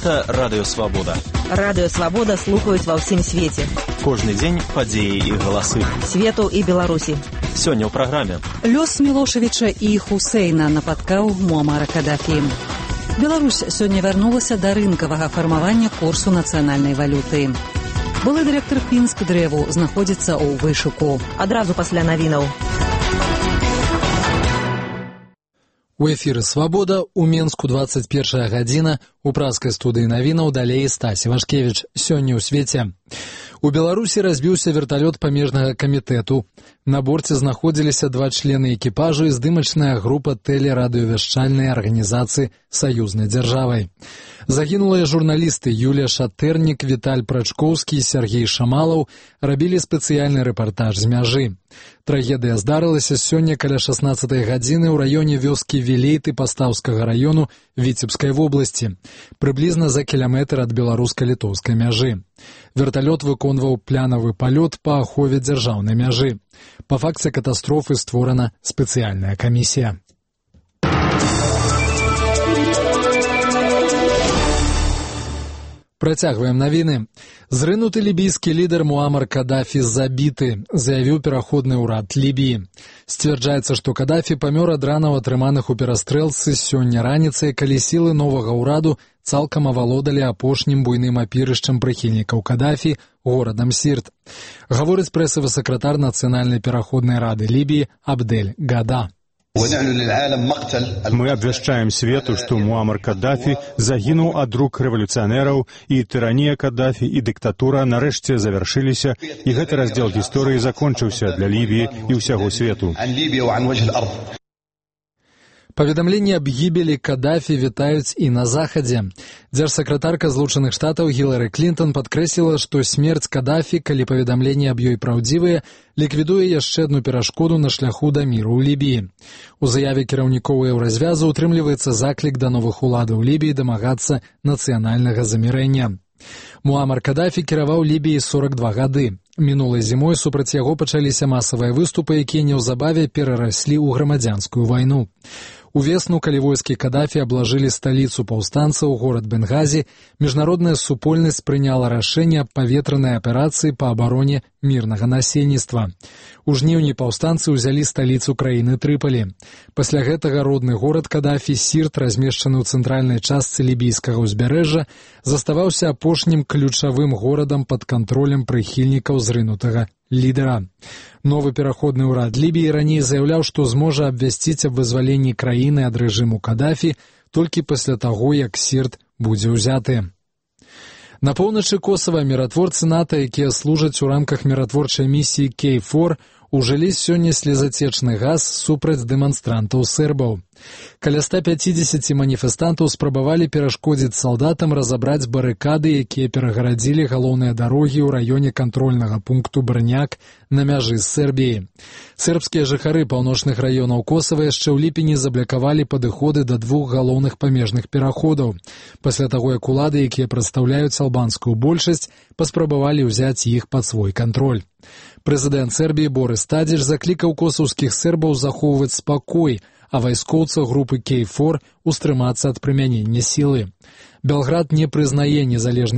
Гэта Радыё Свабода. Радыё Свабода слухаюць ва ўсім свеце. Кожны дзень падзеі і галасы. Свету і Беларусі. Сёння ў праграме. Лёс Мілошевіча і Хусейна напаткаў Муамара Кадафі. Беларусь сёння вярнулася да рынкавага фармавання курсу нацыянальнай валюты. Былы дырэктар Пінскдрэву знаходзіцца ў вышуку. Адразу пасля навінаў. У эфіры «Свабода», у Менску 21 гадзіна, у праскай студыі навінаў далей Стасі Вашкевіч. Сёння ў свеце. У Беларусі разбіўся верталёт памежнага камітэту. На борце знаходзіліся 2 члены экіпажу і здымачная група тэлерадыёвяшчальнай арганізацыі саюзнай дзяржавай. Загінулыя журналісты Юлія Шатэрнік, Віталь Прачкоўскі і Сергей Шамалаў рабілі спецыяльны рэпартаж з мяжы. Трагедыя здарылася сёння каля 16 гадзіны ў раёне вёскі Вілейты Пастаўскага раёну Віцебскай вобласці, прыблізна за кіламетр ад беларуска-літоўскай мяжы. Верталёт выконваў плянавы палёт па ахове дзяржаўнай мяжы. Па факце катастрофы створана спецыяльная камісія. Працягваем навіны. Зрынуты лібійскі лідар Муамар Кадафі забіты, заявіў пераходны ўрад Лібіі. Сцвярджаецца, што Кадафі памёр ад ранаў, атрыманых у перастрэлцы сёння раніцай, калі сілы новага ўраду цалкам авалодалі апошнім буйным апірышчам прыхільнікаў Кадафі, горадам Сірт. Гаворыць прэсавы сакратар Нацыянальнай пераходнай рады Лібіі Абдель Гада. Мы абвяшчаем свету, што Муамар Кадафі загінуў ад рук рэвалюцыянераў, і тыранія Кадафі і дыктатура нарэшце завяршыліся, і гэты раздзел гісторыі закончыўся для Лібіі і ўсяго свету. Паведамленні аб гібелі Кадафі вітаюць і на захадзе. Дзяржсакратарка Злучаных Штатаў Гілары Клінтон падкрэсліла, што смерць Кадафі, калі паведамленні аб ёй праўдзівыя, ліквідуе яшчэ адну перашкоду на шляху да міру ў Лібіі. У заяве кіраўнікоў еўразвязу ўтрымліваецца заклік да новых уладаў Лібіі дамагацца нацыянальнага замірэння. Муамар Кадафі кіраваў Лібіяй 42 гады. Мінулай зімой супраць яго пачаліся масавыя выступы, якія неўзабаве перараслі ў грамадзянскую вайну. Увесну, калі войскі Кадафі аблажылі сталіцу паўстанцаў, горад Бенгазі, міжнародная супольнасць прыняла рашэнне аб паветранай аперацыі па абароне мірнага насельніцтва. У жніўні паўстанцы ўзялі сталіцу краіны Трыпалі. Пасля гэтага родны горад Кадафі, Сірт, размешчаны ў цэнтральнай частцы лібійскага ўзбярэжжа, заставаўся апошнім ключавым горадам пад кантролем прыхільнікаў зрынутага лідара. Новы пераходны ўрад Лібіі раней заяўляў, што зможа абвясціць аб вызваленні краіны ад рэжыму Кадафі толькі пасля таго, як Сірт будзе ўзяты. На поўначы Косава міратворцы НАТО, якія служаць у рамках міратворчай місіі Кей-4, ужылі сёння слезацечны газ супраць дэманстрантаў сербаў. Каля 150 маніфестантаў спрабавалі перашкодзіць салдатам разабраць барыкады, якія перагарадзілі галоўныя дарогі ў раёне кантрольнага пункту Брняк на мяжы з Сербіяй. Сербскія жыхары паўночных раёнаў Косава яшчэ ў ліпені заблакавалі падыходы да 2 галоўных памежных пераходаў. Пасля таго, як улады, якія прадстаўляюць албанскую большасць, паспрабавалі ўзяць іх пад свой кантроль. Прэзідэнт Сербіі Борыс Тадзіч заклікаў косаўскіх сербаў захоўваць спакой, а вайскоўцаў групы Кей-4 устрымацца ад прымянення сілы. Белград не прызнае незалежнасць